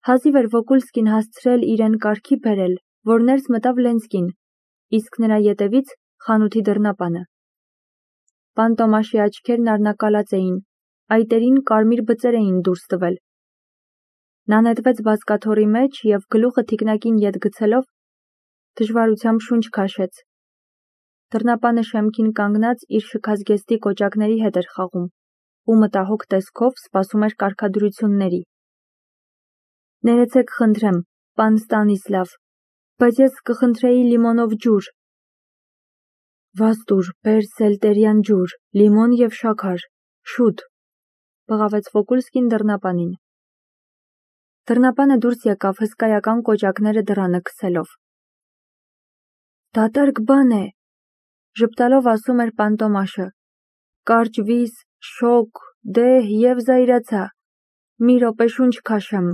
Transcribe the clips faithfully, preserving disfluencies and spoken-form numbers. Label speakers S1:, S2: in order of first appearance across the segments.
S1: Հազիվ էր Վոկուլսկին հասցրել իրեն կարգի բերել, որ ներս մտավ Լենսկին, իսկ նրա ետևից խանութի դռնապանը։ Պան Տոմաշի աչքերն առնակալած էին, այտերին կարմիր բծեր էին դուրս տվել։ Նա նետվեց բազկաթոռի մեջ և գլուխը թիկնակին ետ գցելով դժվարությամբ շունչ քաշեց։ Դռնապանը շեմքին կանգնած իր շքազգեստի կոճակների հետ էր խաղում ու մտահոգ տեսքով սպասում էր կարգադրությունների։ Ներեցեք խնդրեմ, պան Ստանիսլավ, բայց ես կխնդրեի լիմոնով ջուր։ Վաստուր, բեր սելտերյան ջուր, լիմոն և շաքար, շուտ, բղավեց Վոկուլսկին դռնապանին։ Դռնապանը դուրս եկավ հսկայական կոճակները դռանը քսելով։ Դատարկ բան է, ժպտալով ասում էր պան Տոմաշը, կարճ վիզ, շոգ, դեհ և զայրացա, մի րոպե շունչ քաշեմ։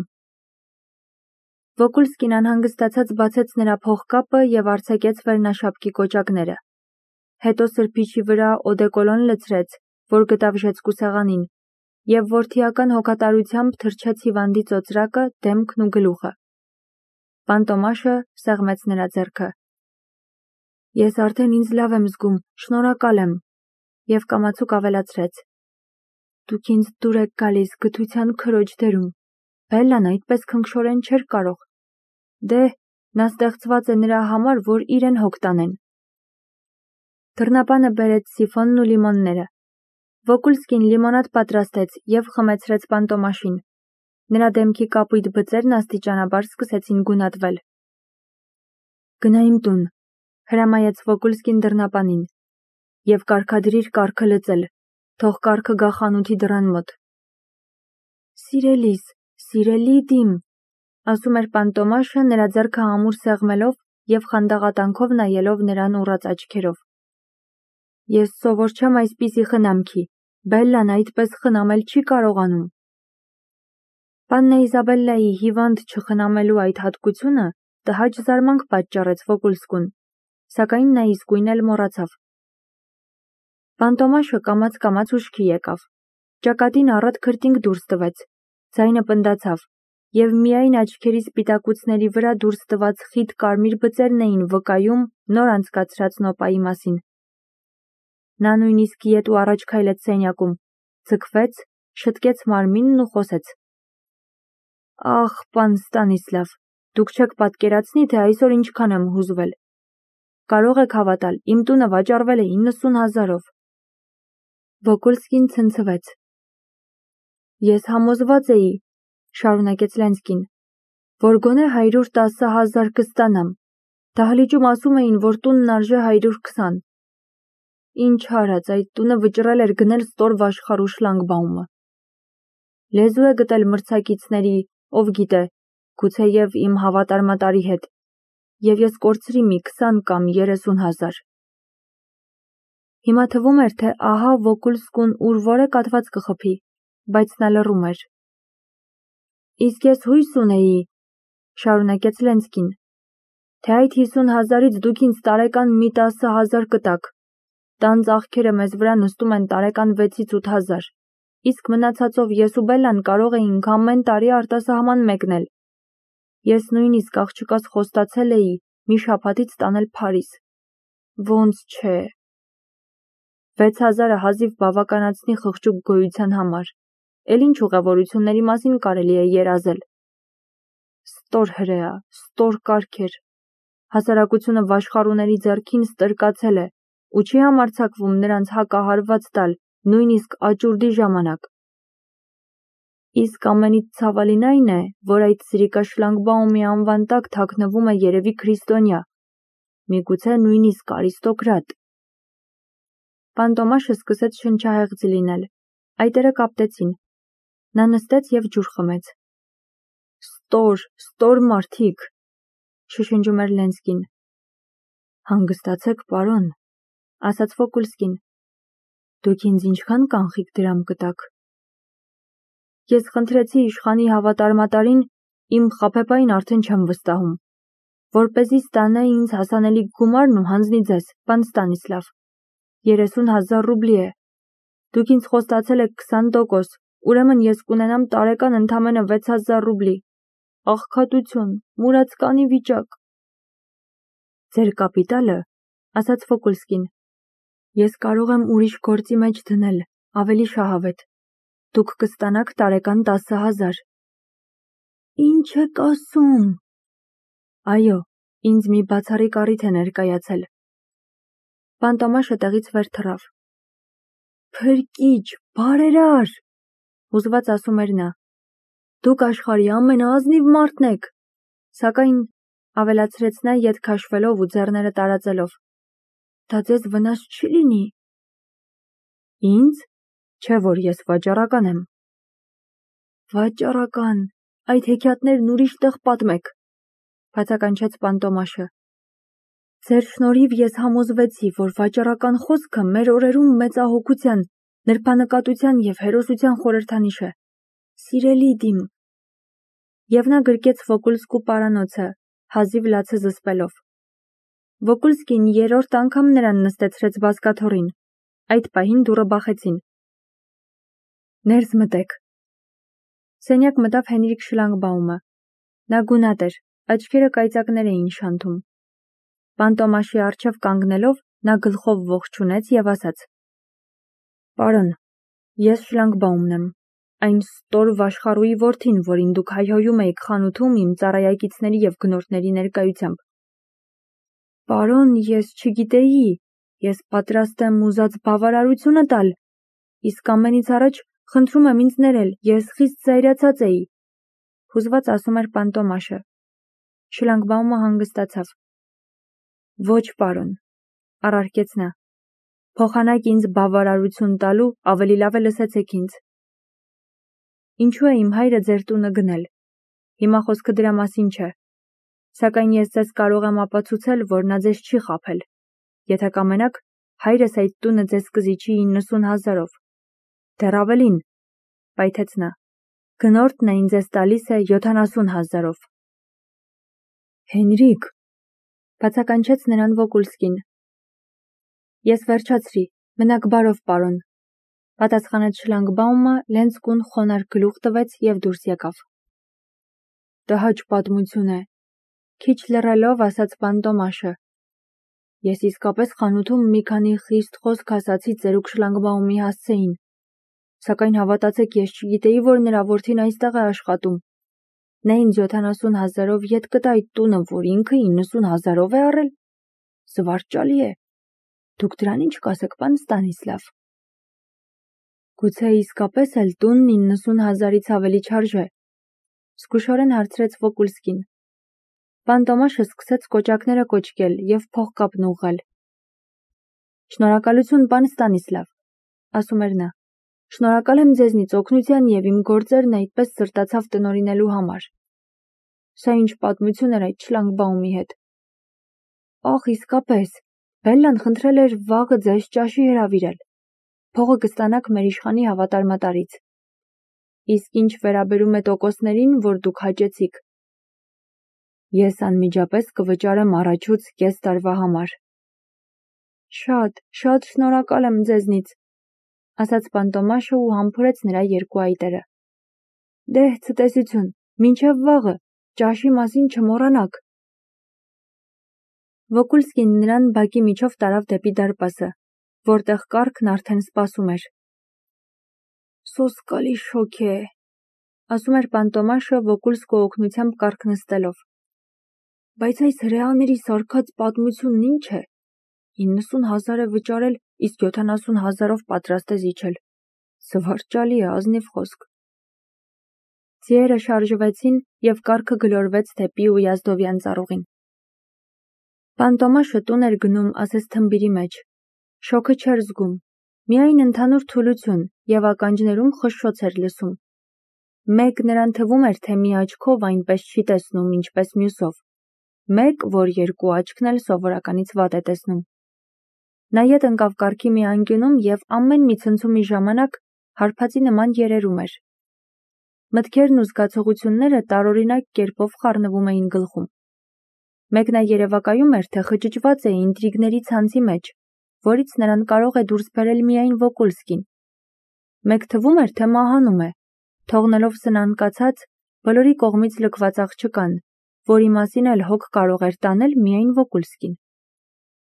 S1: Վոկուլսկին անհանգստացած բացեց նրա փողկապը և արձակեց վերնաշապկի կոճակները։ Հետո սրբիչի վրա օդեկոլոն լցրեց, որ գտավ ժեցկու սեղանին, և որդիական հոգատարությամբ թրջեց հիվանդի ծոծրակը, դեմքն ու գլուխը։ Պան Տոմաշը սեղմեց նրա ձեռքը։ Ես արդեն ինձ լավ եմ զգում, շնորհակալ եմ, և կամացուկ ավելացրեց. Դուք ինձ դուր եք գալիս գթության քրոջ դերում։ Բելլան այդպես քնքշորեն չէր կարող։ Դե, նա ստեղծված է նրա համար, որ իրեն հոգ տանեն։ Դռնապանը բերեց սիֆոնն ու լիմոնները։ Վոկուլսկին լիմոնադ պատրաստեց և խմեցրեց պան Տոմաշին։ Նրա դեմքի կապույտ բծերն աստիճանաբար սկսեցին գունատվել։ Գնա իմ տուն, հրամայեց Վոկուլսկին դռնապանին, և կարգադրիր կարգը լծել, թող կարգը գա խանութի դռան մոտ։ Սիրելիս, սիրելիդ իմ, ասում էր պան Տոմաշը նրա ձեռքը ամուր սեղմելով և խանդաղատանքով նայելով նրան ուռած աչքերով։ Ես սովոր չեմ այսպիսի խնամքի, Բելլան այդպես խնամել չի կարողանում։ Պաննա Իզաբելլայի հիվանդ չխնամելու այդ հատկությունը տհաճ զարմանք պատճառեց Վոկուլսկուն, սակայն նա իսկույն էլ մոռացավ։ Պան Տոմաշը կամաց-կամաց ուշքի եկավ, ճակատին առատ քրտինք դուրս տվեց, ձայնը պնդացավ, և միայն աչքերի սպիտակուցների վրա դուրս տված խիտ կարմիր բծերն էին վկայում նոր անցկացրած նոպայի մասին։ Նա նույնիսկ ետ ու առաջ քայլեց սենյակում, ձգվեց, շտկեց մարմինն ու խոսեց. Ախ, պան Ստանիսլավ, դուք չեք պատկերացնի, թե այսօր ինչքան եմ հուզվել։ Կարող եք հավատալ, իմ տունը վաճառվել է իննսուն հազարով։ Վոկուլսկին ցնցվեց։ Ես համոզված էի, շարունակեց Լենսկին, որ գոնե հարյուր տասը հազար կստանամ։ Դահլիճում ասում էին, որ տունն արժե հարյուր քսան։ Ինչ արած, այդ տունը վճռել էր գնել ստոր վաշխառու շլագբաումը։ Լեզու է գտել մրցակիցների, ով գիտե, գուցեև իմ հավատարմատարի հետ, և ես կորցրի մի քսան կամ երեսուն հազար։ Հիմա թվում էր, թե ահա Վոկուլսկուն ուր որե կաթված կխփի, բայց նա լռում էր։ Իսկ ես հույս ունեի, շարունակեց Լենսկին, թե այդ հիսուն հազարից դուք ինձ տարեկան մի տասը հազար կտաք։ Տան ծախքերը մեզ վրա նստում են տարեկան վեցից ութ հազար, իսկ մնացածով ես ու Բելլան կարող էինք ամեն տարի արտասահման մեկնել։ Ես նույնիսկ աղջկաս խոստացել էի մի շաբաթից տանել Փարիզ։ Ոնց չէ։ Վեց հազարը հազիվ բավականացնի խղճուկ գոյության համար, էլ ինչ ուղևորությունների մասին կարելի է երազել։ Ստոր հրեա, ստոր կարգեր, հասարակությունը վաշխառուների ձեռքին ստրկացել է ու չի համարձակվում նրանց հակահարված տալ, նույնիսկ աճուրդի ժամանակ։ Իսկ ամենից ցավալին այն է, որ այդ սրիկա շլագբաումի անվան տակ թաքնվում է երևի քրիստոնյա, միգուցե նույնիսկ արիստոկրատ։ Պան Տոմաշը սկսեց շնչահեղձ լինել, այտերը կապտեցին։ Նա նստեց և ջուր խմեց։ Ստոր, ստոր մարդիկ, շշնջում էր Լենսկին։ Հանգստացեք, պարոն, ասաց Վոկուլսկին։ Դուք ինձ ինչքան կանխիկ դրամ կտաք։ Ես խնդրեցի իշխանի հավատարմատարին, իմ խաբեբային արդեն չեմ վստահում, որպեսզի ստանա ինձ հասանելի գումարն ու հանձնի ձեզ, պան Ստանիսլավ։ երեսուն հազար ռուբլի է։ Դուք ինձ խոստացել եք քսան տոկոս, ուրեմն ես կունենամ տարեկան ընդամենը վեց հազար ռուբլի։ աղքատություն, մուրացկանի վիճակ։ Ձեր կապիտալը, ասաց Վոկուլսկին, ես կարող եմ ուրիշ գործի մեջ դնել, ավելի շահավետ։ Դուք կստանաք տարեկան տասը հազար։ Ինչ եք ասում։ Այո, ինձ մի բացառիկ առիթ է ներկայացել։ Պանտոմաշը տեղից վեր թռավ։ Փրկիչ, բարերար, հուզված ասում էր նա։ Դուք աշխարհի ամենաազնիվ մարդն եք, սակայն ավելացրեց նա ետ քաշվելով ու ձեռները տարածելով։ Դա ձեզ վնաս չի լինի։ Ինձ, չէ որ ես վաճառական եմ։ Վաճառական, այդ հեքիաթներն ուրիշ տեղ պատմեք, բացականչեց Պանտոմաշը։ Ձեր շնորհիվ ես համոզվեցի, որ վաճառական խոսքը մեր օրերում մեծահոգության, նրբանկատության և հերոսության խորհրդանիշ է։ Սիրելի դիմ։ Եվ նա գրկեց Վոկուլսկու պարանոցը, հազիվ լացը զսպելով։ Վոկուլսկին երրորդ անգամ նրան նստեցրեց բազկաթոռին։ Այդ պահին դուռը բախեցին։ Ներս մտեք։ Սենյակ մտավ Հենրիկ Շլանգբաումը։ Նա գունատ էր, աչքերը կայծակներ էին շանթում։ Պանտոմաշի առջև կանգնելով, նա գլխով ողջունեց և ասաց. Պարոն, ես Շլանգբաումն եմ, այն ստոր վաշխառուի որդին, որին դուք հայհոյում էիք խանութում իմ ծառայակիցների և գնորդների ներկայությամբ։ Պարոն, ես չգիտեի, ես պատրաստ եմ ուզած բավարարությունը տալ, իսկ ամենից առաջ խնդրում եմ ինձ ներել, ես խիստ զայրացած էի, հուզված ասում էր Պանտոմաշը։ Շլանգբաումը հանգստացավ։ Ոչ, պարոն, առարկեց նա, փոխանակ ինձ բավարարություն տալու, ավելի լավ է լսեցեք ինձ։ Ինչու է իմ հայրը ձեր տունը գնել։ Հիմա խոսքը դրա մասին չէ։ Սակայն ես ձեզ կարող եմ ապացուցել, որ նա ձեզ չի խաբել։ Եթե կամենաք, հայրս այդ տունը ձեզ կզիջի իննսուն հազարով։ Դեռ ավելին, պայթեց նա, գնորդն այն ձեզ տալիս է յոթանասուն հազարով։ Հենրիկ, բացականչեց նրան Վոկուլսկին։ Ես վերջացրի, մնաք բարով, պարոն, պատասխանեց Շլանգբաումը, Լենցկուն խոնարհ գլուխ տվեց և դուրս եկավ։ Տհաճ պատմություն է, քիչ լռելով ասաց Պանտոմաշը։ Ես իսկապես խանութում մի քանի խիստ խոսք ասացի ծերուկ Շլանգբաումի հասցեին, սակայն հավատացեք, ես չգիտեի, որ նրա որդին այստեղ է աշխատում։ Նա ինձ յոթանասուն հազարով ետ կտա այդ տունը, որ ինքը իննսուն հազարով է առել։ Զվարճալի է։ Դուք դրան ինչ կասեք, պան Ստանիսլավ։ Գուցե իսկապես էլ տունն իննսուն հազարից ավելի չարժե, զգուշորեն հարցրեց Վոկուլսկին։ Պանտոմաշը սկսեց կոճակները կոճկել և փողկապն ուղղել։ Շնորհակալություն, պան Ստանիսլավ, ասում էր նա։ Շնորհակալ եմ ձեզնից օգնության և իմ գործերն այդպես սրտացավ տնօրինելու համար։ Սա ինչ պատմություն էր այդ Շլանգբաումի հետ։ Ախ, իսկապես, Բելլան խնդրել էր վաղը ձեզ ճաշի հրավիրել։ Փողը կստանաք մեր իշխանի հավատարմատարից։ Իսկ ինչ վերաբերում է տոկոսներին, որ դուք հաճեցիք, ես անմիջապես կվճարեմ առաջուց կես տարվա համար։ Շատ, շատ շնորհակալ եմ ձեզնից, ասաց Պանտոմաշը ու համբուրեց նրա երկու այտերը։ Դե, ցտեսություն, մինչև վաղը, ճաշի մասին չմոռանաք։ Վոկուլսկին նրան բակի միջով տարավ դեպի դարպասը, որտեղ կառքն արդեն սպասում էր։ Սոսկալի շոգ է, ասում էր Պանտոմաշը Վոկուլսկու օգնությամբ կառք նստելով։ Բայց այս հրեաների սարքած պատմությունն ինչ է։ իննսուն հազար է վճարել, իսկ յոթանասուն հազարով պատրաստ է զիջել։ Զվարճալի է, ազնիվ խոսք։ Ձիերը շարժվեցին և կառքը գլորվեց դեպի Ույազդովյան ծառուղին։ Պանտոմաշը տուն էր գնում ասես թմբիրի մեջ։ Շոգը չէր զգում, միայն ընդհանուր թուլություն և ականջներում խշշոց էր լսում։ Մեկ նրան թվում էր, թե մի աչքով այնպես չի տեսնում, ինչպես մյուսով, մեկ, որ երկու աչքն էլ սովորականից վատ է տեսնում։ Նա ետ ընկավ կառքի մի անկյունում և ամեն մի ցնցումի ժամանակ հարբածի նման երերում էր։ Մտքերն ու զգացողությունները տարօրինակ կերպով խառնվում էին գլխում։ Մեկ նա երևակայում էր, թե խճճված է ինտրիգների ցանցի մեջ, որից նրան կարող է դուրս բերել միայն Վոկուլսկին։ Մեկ թվում էր, թե մահանում է, թողնելով սնանկացած, բոլորի կողմից լքված աղջկան, որի մասին էլ հոգ կարող էր տանել միայն Վոկուլսկին։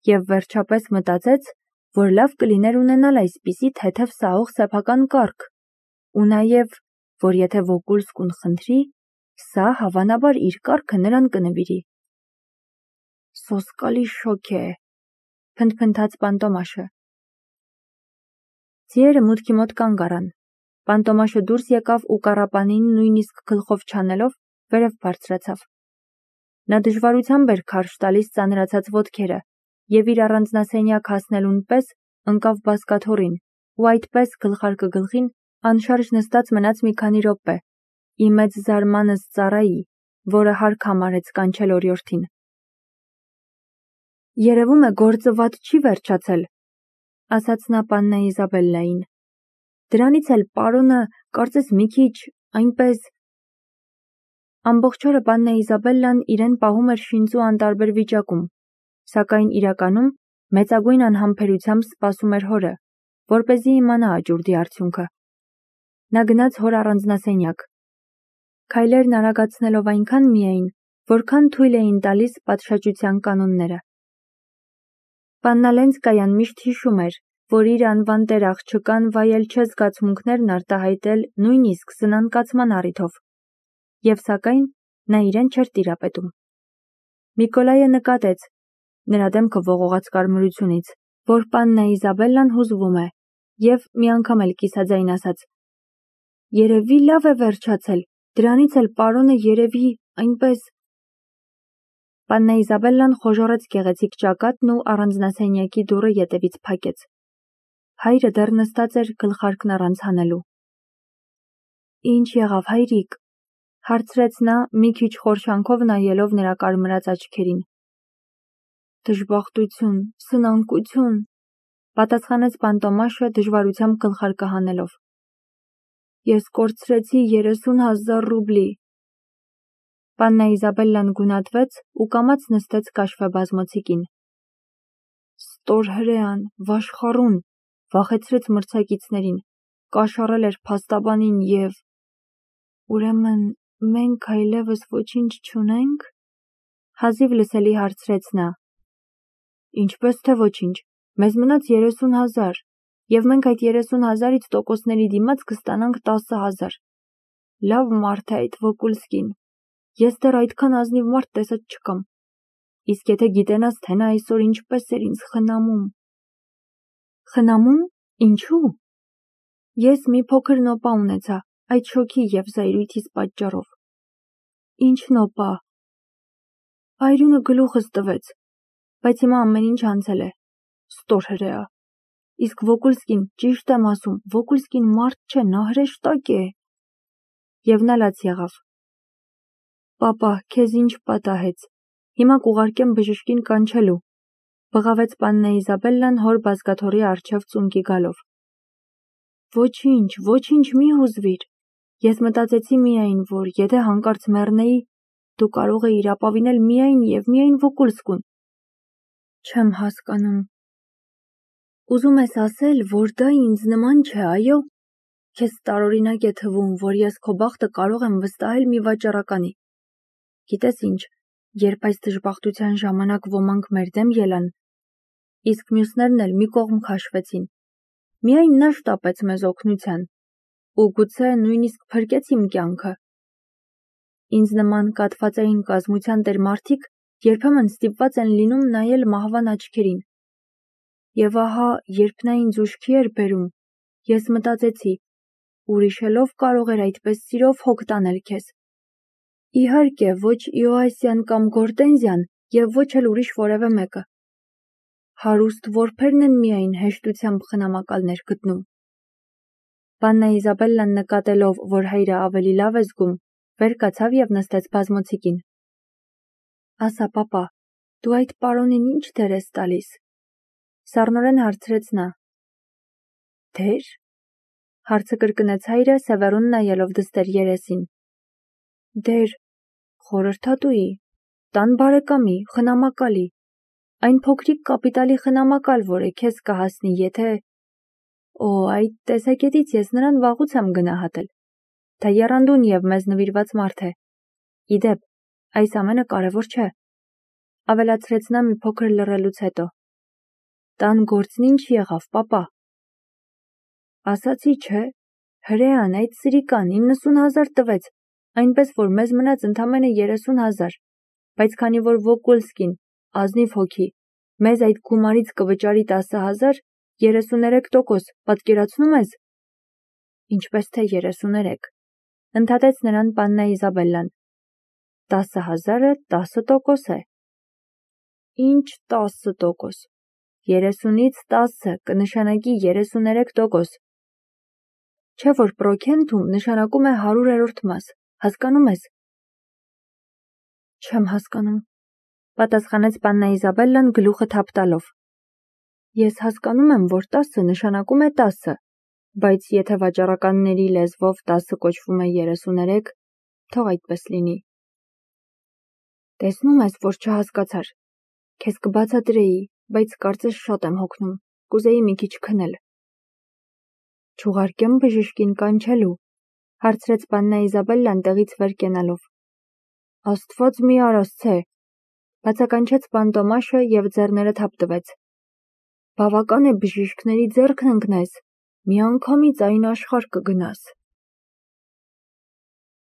S1: Եվ վերջապես մտածեց, որ լավ կլիներ ունենալ այսպիսի թեթև սահող սեփական կառք, ու նաև, որ եթե Վոկուլսկուն խնդրի, սա հավանաբար իր կառքը նրան կնվիրի։ Սոսկալի շոկ է, փնթփնթաց Պանտոմաշը։ Ձիերը մուտքի մոտ կանգ առան։ Պանտոմաշը դուրս եկավ ու կառապանին նույնիսկ գլխով չանելով վերև բարձրացավ։ Նա դժվարությամբ էր քարշ տալիս ծանրացած ոտքերը և իր առանձնասենյակ հասնելուն պես ընկավ բազկաթոռին ու այդպես գլխարկը գլխին անշարժ նստած մնաց մի քանի րոպե, ի մեծ զարմանս ծառայի, որը հարկ համարեց կանչել օրիորդին։ Երևում է գործը վատ չի վերջացել, ասաց նա պաննա Իզաբելլային։ Դրանից էլ պարոնը կարծես մի քիչ, այնպես… Ամբողջ օրը պաննա Իզաբելլան իրեն պահում էր շինծու անտարբեր վիճակում, սակայն իրականում մեծագույն անհամբերությամբ սպասում էր հորը, որպեսզի իմանա աճուրդի արդյունքը։ Նա գնաց հոր առանձնասենյակ, քայլերն արագացնելով այնքան միայն, որքան թույլ էին տալիս պատշաճության կանոնները։ Պաննա Լենսկայան միշտ հիշում էր, որ իր անվան տեր աղջկան վայել չէ զգացմունքներն արտահայտել նույնիսկ սնանկացման առիթով, և սակայն նա իրեն չէր տիրապետում։ Միկոլայը նկատեց, նրա դեմքը ողողաց կարմրությունից, որ պաննա Իզաբելլան հուզվում է, և մի անգամ էլ կիսաձայն ասաց. «Երևի լավ է վերջացել, դրանից էլ պարոնը երևի, այնպես…» Պաննա Իզաբելլան խոժոռեց գեղեցիկ ճակատն ու առանձնասենյակի դուռը ետևից փակեց։ Հայրը դեռ նստած էր գլխարկն առանց հանելու։ «Ինչ եղավ, հայրիկ», հարցրեց նա, մի քիչ խորշանքով նայելով նրա կարմրած աչքերին։ «Դժբախտություն, սնանկություն», պատասխանեց Պանտոմաշը դժվարությամբ գլխարկը հանելով։ «Ես կորցրեցի երեսուն հազար ռուբլի»։ Պաննա Իզաբելլան գունատվեց ու կամաց նստեց կաշվե բազմոցիկին։ Ստոր հրեան, վաշխառուն, վախեցրեց մրցակիցներին, կաշառել էր փաստաբանին և… Ուրեմն մենք այլևս ոչինչ չունե՞նք, հազիվ լսելի հարցրեց նա։ Ինչպես թե ոչինչ, մեզ մնաց երեսուն հազար, և մենք այդ երեսուն հազարից տոկոսների դիմաց կստանանք տասը հազար։ Լավ մարդ է այդ Վոկուլսկին, ես դեռ այդքան ազնիվ մարդ տեսած չկամ։ Իսկ եթե գիտենաս, թե նա այսօր ինչպես էր ինձ խնամում… Խնամում, ինչու՞։ Ես մի փոքր նոպա ունեցա, այդ շոքի և զայրույթիս պատճառով։ Ինչ նոպա։ Այրունը գլուխս տվեց, բայց հիմա ամեն ինչ անցել է։ Ստոր հրեա։ Իսկ Վոկուլսկին, ճիշտ եմ ասում, Վոկուլսկին մարդ չէ, նա հրեշտակ է։ Եվ նա լաց եղավ։ Պապա, քեզ ինչ պատահեց։ Հիմա կուղարկեմ բժշկին կանչելու, բղավեց պաննա Իզաբելլան հոր բազկաթոռի առջև ծունկի գալով։ Ոչինչ, ոչինչ մի հուզվիր։ Ես մտածեցի միայն, որ եթե հանկարծ մեռնեի, դու կարող էիր ապավինել միայն և միայն Վոկուլսկուն։ Չեմ հասկանում։ Ուզում ես ասել, որ դա ինձ նման չէ, այո։ Քեզ տարօրինակ է թվում, որ ես քո բախտը կարող եմ վստահել մի վաճառականի։ Գիտես ինչ, երբ այս դժբախտության ժամանակ ոմանք մեր դեմ ելան, իսկ մյուսներն էլ մի կողմ քաշվեցին, միայն նա շտապեց մեզ օգնության, ու գուցե նույնիսկ փրկեց իմ կյանքը։ Ինձ նման կաթվածային կազմության տեր մարդիկ երբեմն ստիպված են լինում նայել մահվան աչքերին։ Եվ ահա, երբ նա ինձ ուշքի էր բերում, ես մտածեցի, ուրիշելով կարող էր այդպես սիրով հոգ տանել քեզ։ Իհարկե, ոչ Իոասյան կամ Գորտենզիան և ոչ էլ ուրիշ որևէ մեկը։ Հարուստ որբերն են միայն հեշտությամբ խնամակալներ գտնում։ Պաննա Իզաբելլան նկատելով, որ հայրը ավելի լավ է զգում, վեր կացավ և նստեց բազմոցիկին։ Ասա, պապա, դու այդ պարոնին ինչ դեր ես տալիս։ Սառնորեն հարցրեց նա։ Դեր։ Հարցը կրկնեց հայրը, սևեռուն նայելով դստեր երեսին։ Դեր, խորհրդատուի, տան բարեկամի, խնամակալի, այն փոքրիկ կապիտալի խնամակալ, որը քեզ կհասնի, եթե… Օ, այդ տեսակետից ես նրան վաղուց եմ գնահատել։ Դա եռանդուն և մեզ նվիրված մարդ է։ Իդեպ, այս ամենը կարևոր չէ, ավելացրեց նա մի փոքր լռելուց հետո։ Տան գործն ինչ եղավ, պապա։ Ասացի չէ, հրեան այդ սրիկան իննսուն հազար տվեց, այնպես որ մեզ մնաց ընդամենը երեսուն հազար, բայց քանի որ Վոկուլսկին, ազնիվ հոգի, մեզ այդ գումարից կվճարի տասը հազար, երեսուներեք տոկոս, պատկերացնում ես։ Ինչպես թե երեսուներեք, ընդհատեց նրան պաննա Իզաբելլան։ Տասը հազարը տասը տոկոս է։ Ինչ տասը տոկոս։ Երեսունից տասը կնշանակի երեսուներեք տոկոս։ Չէ որ պրոքենթում նշանակում է հարյուրերորդ մաս, հասկանում ես։ Չեմ հասկանում, պատասխանեց պաննա Իզաբելլան գլուխը թափ տալով։ Ես հասկանում եմ, որ տասը նշանակում է տասը, բայց եթե վաճառականների լեզվով տասը կոչվում է երեսուներեք, թող այդպես լինի։ Տեսնում ես, որ չհասկացար։ Քեզ կբացատրեի, բայց կարծես շատ եմ հոգնում, կուզեի մի քիչ քնել։ Չուղարկեմ բժշկին կանչելու, հարցրեց պաննա Իզաբելլան տեղից վեր կենալով։ Աստված մի արասցե, բացականչեց պան Տոմաշը և ձեռները թափ տվեց։ Բավական է բժիշկների ձեռքն ընկնես, մի անգամից այն աշխարհ կգնաս։